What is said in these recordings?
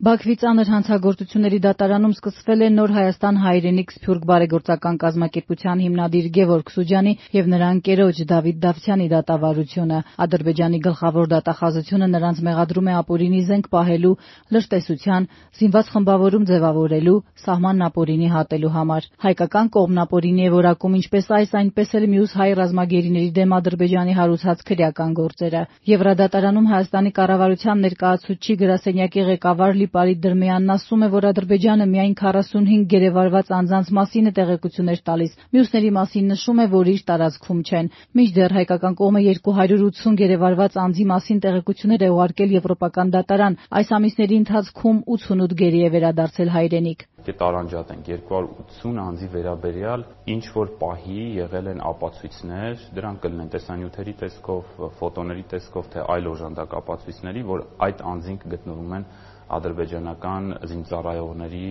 Բաքվի ծանր հանցագործությունների դատարանում սկսվել է Նոր Հայաստան հայրենիք սփյուռք բարեգործական կազմակերպության հիմնադիր Գևորգ Սուջանի եւ նրա ընկերոջ Դավիթ Դավթյանի դատավարությունը։ Ադրբեջանի գլխավոր դատախազությունը նրանց մեղադրում է ապօրինի զենք պահելու, լրտեսության, զինված խմբավորում ձևավորելու, սահմանն ապօրինի հատելու համար։ Հայկական կողմն ապօրինի է որակում ինչպես այս, այնպես էլ մյուս հայ ռազմագերիների դեմ Ադրբեջանի հարուցած քրեական գործերը։ Եվրադատարանում Հայաստանի կառավարության ներկայացուցչի գրասենյակի ղեկավար Լիպարիտ Դրմեյանն ասում է, որ Ադրբեջանը միայն 45 գերեվարված անձանց մասին է տեղեկություններ տալիս, մյուսների մասին նշում է, որ իր տարածքում չեն։ Մինչդեռ հայկական կողմը 280 գերեվարված անձի մասին տեղեկություններ է ուղարկել Եվրոպական դատարան։ Այս ամիսների ընթացքում 88 գերի է վերադարձել հայրենիք։ Տարանջատ ենք 280 անձի վերաբերյալ ինչ որ պահի եղել են ապացույցներ, դրանք կլինեն տեսանյութերի տեսքով, ֆոտոների տեսքով, թե այլ օժանդակ ապացույցների, որ այդ անձինք գտնվում են ադրբեջանական զինծառայողների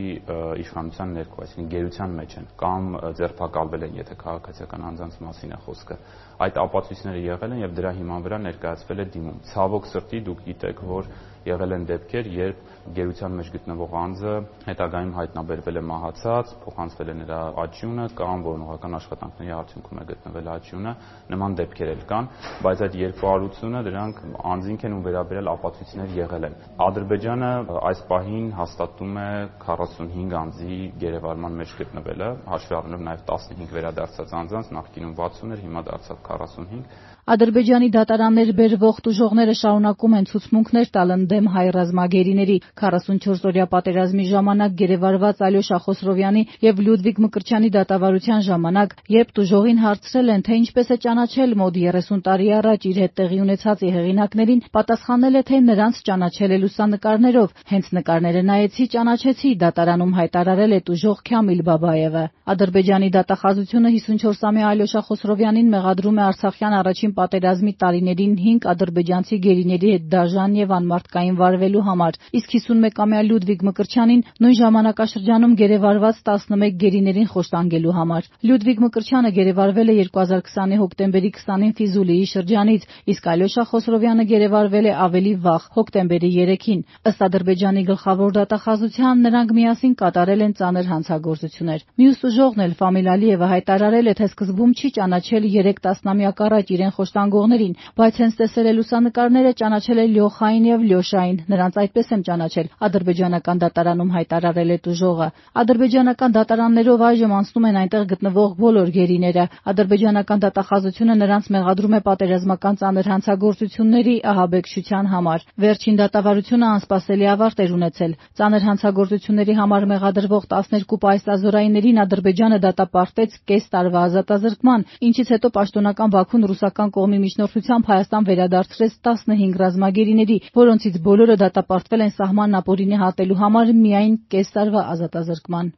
իշխանության ներքո, այսինքն գերության մեջ են կամ ձերբակալվել են, եթե քաղաքացիական անձանց մասին է խոսքը։ Այդ ապացույցները եղել են եւ դրա հիման վրա ներկայացվել է դիմում։ Ցավոք սրտի դուք գիտեք, որ եղել են դեպքեր, երբ գերության մեջ գտնվող անձը հետագայում հայտնաբերվել է մահացած, փոխանցվել է նրա աջյունը կամ որոնողական աշխատանքների արդյունքում է գտնվել աջյունը, նման դեպքեր էլ կան, բայց այդ 280-ը դրանք անձինք են ու վերաբերյալ ապացույցներ եղել են։ Ադրբեջանը այս պահին հաստատում է 45 անձի գերեվարման մեջ գտնվելը, հաշվի առնելով նաև 15 վերադարձած անձանց, նախկինում 60 էր, հիմա դարձավ 45։ Ադրբեջանի դատարաններ բերվող տուժողները շարունակում են ցուցմունքներ տալ ընդդեմ հայ ռազմագերիների։ 44-օրյա պատերազմի ժամանակ գերեվարված Ալյոշա Խոսրովյանի եւ Լյուդվիգ Մկրտչյանի դատավարության ժամանակ, երբ տուժողին հարցրել են, թե ինչպես է ճանաչել մոտ 30 տարի առաջ իր հետ տեղի ունեցածի հեղինակներին, պատասխանել է, թե նրանց ճանաչել է լուսանկարներով։ Հենց նկարները նայեցի, ճանաչեցի, դատարանում հայտարարել է տուժող Քամիլ Բաբաևը։ Ադրբեջանի դատախազությունը 54-ամյա Ալյոշա Խոսրովյանին մեղադրում է Արցախյան առաջին պատերազմի տարիներին 5 ադրբեջանցի գերիների հետ դաժան եւ անմարդկային վարվելու համար, իսկ 51-ամյա Լյուդվիգ Մկրտչյանին նույն ժամանակաշրջանում գերեվարված 11 գերիներին խոշտանգելու համար։ Լյուդվիգ Մկրտչյանը գերեվարվել է 2020-ի հոկտեմբերի 20-ին Ֆիզուլիի շրջանից, իսկ Ալյոշա Խոսրովյանը գերեվարվել է ավելի վաղ, հոկտեմբերի 3-ին։ Ըստ Ադրբեջանի գլխավոր դատախազության նրանք միասին կատարել են ծանր հանցագործություններ։ Մյուս տուժողն էլ Ֆամիլ Ալիևը հայտարարել է, թե սկզբում չի ճանաչել 3 տասնամյակ առաջ իրեն խոշտանգողներին, բայց հենց տեսել է լուսանկարները, ճանաչել է Լյոխային եւ Լյոշային, նրանց այդպես եմ ճանաչել, ադրբեջանական դատարանում հայտարարել է տուժողը։ Ադրբեջանական դատարաններով այժմ անցնում են այնտեղ գտնվող բոլոր գերիները։ Ադրբեջանական դատախազությունը նրանց մեղադրում է պատերազմական ծանր հանցագործությունների ահաբեկչության համար։ Վերջին դատավարությունը անսպասելի ավարտ էր ունեցել։ Ծանր հանցագործությունների համար մեղադրվող 12 պայծազորայիներին Ադրբեջանը դատապարտեց կես տարվա ազատազրկման, ինչից հետո պաշտոնական Բաքուն ռուսական կողմի միջնորդությամբ Հայաստան վերադարձրեց 15 ռազմագերիների, որոնցից բոլորը դատապարտվել են սահմանն ապօրինի հատելու համար միայն կես տարվա ազատազրկման։